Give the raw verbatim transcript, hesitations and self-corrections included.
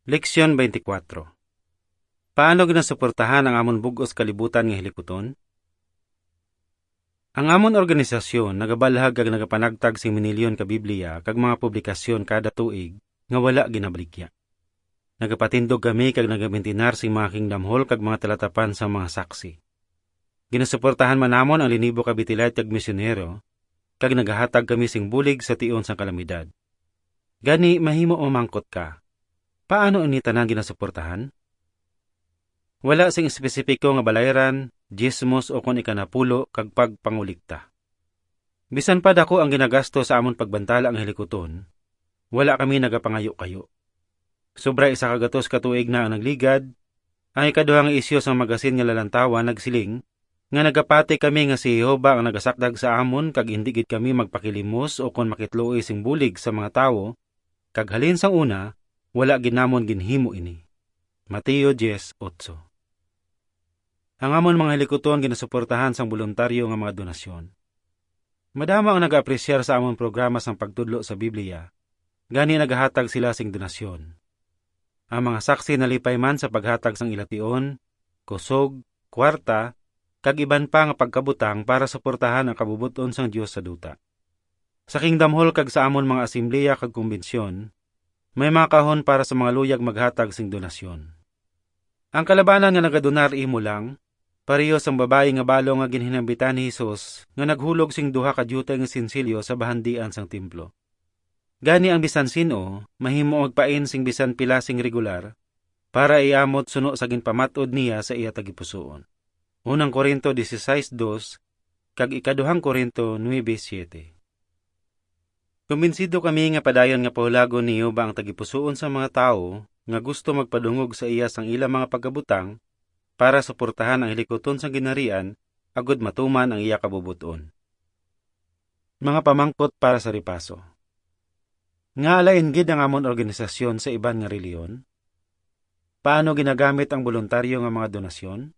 Leksyon twenty-four. Paano ginasuportahan ang amon bug-os kalibutan nga hilikuton? Ang amon organisasyon nagabalhag kag nagapanagtag sing minilyon ka Biblia kag mga publikasyon kada tuig nga wala ginabaligya. Nagapatindog kami kag nagabintinar sing mga Kingdom Hall kag mga talatapan sang mga saksi. Ginasuportahan man namon ang linibo ka Betelite kag misyonero, kag nagahatag kami sing bulig sa tion sang kalamidad. Gani, mahimo mamangkot ka, paano ini tanan ginasuportahan? Wala sing espesipiko nga balayran, diezmos, o kon ikanapulo kag pagpangulikta. Bisan pa dako ang ginagasto sa amon pagbantala ang hilikuton, wala kami nagapangayo-kayo. Sobra isa ka gatos ka tuig na ang nagligad, ang ikaduha nga isyu sang magasin nga Lalantawan nagsiling nga nagapati kami nga si Jehovah ang nagasakdag sa amon kag indi gid kami magpakilimos o kon makitluoy sing bulig sa mga tawo, kag halin sang una, wala gid namon ginhimo ini. Mateo diez otso. Ang amon mga hilikuton ginasuportahan sang boluntaryo nga mga donasyon. Madamo ang nagaapresyar sa amon programa sang pagtudlo sa Biblia, gani nagahatag sila sing donasyon. Ang mga saksi nalipay man sa paghatag sang ila tion, kusog, kwarta, kag iban pa nga pagkabutang para suportahan ang kabubot-on sang Dios sa duta. Sa Kingdom Hall kag sa amon mga asembleya kag kumbensyon, may mga kahon para sa mga luyag maghatag sing donasyon. Ang kalabanan nga nagadonar imo lang, pareho sang babayi nga balo nga ginhinambitan ni Jesus nga naghulog sing duha ka diutay nga sensilyo sa bahandian sang templo. Gani, ang bisan sin-o mahimo magpain sing bisan pila sing regular para iamot suno sa ginpamat-od niya sa iya tagipusoon. Unang Corinto dieciséis dos kag ikaduhang Corinto nuebe siete. Kumbinsido kami nga padayon nga pahulagon ni Jehovah ang tagipusoon sang mga tawo nga gusto magpadungog sa iya sang ila mga pagkabutang para suportahan ang hilikuton sang Ginharian agud matuman ang iya kabubot-on. Mga pamangkot para sa repaso. Ngaa lain gid ang amon organisasyon sa iban nga relihiyon? Paano ginagamit ang boluntaryo nga mga donasyon?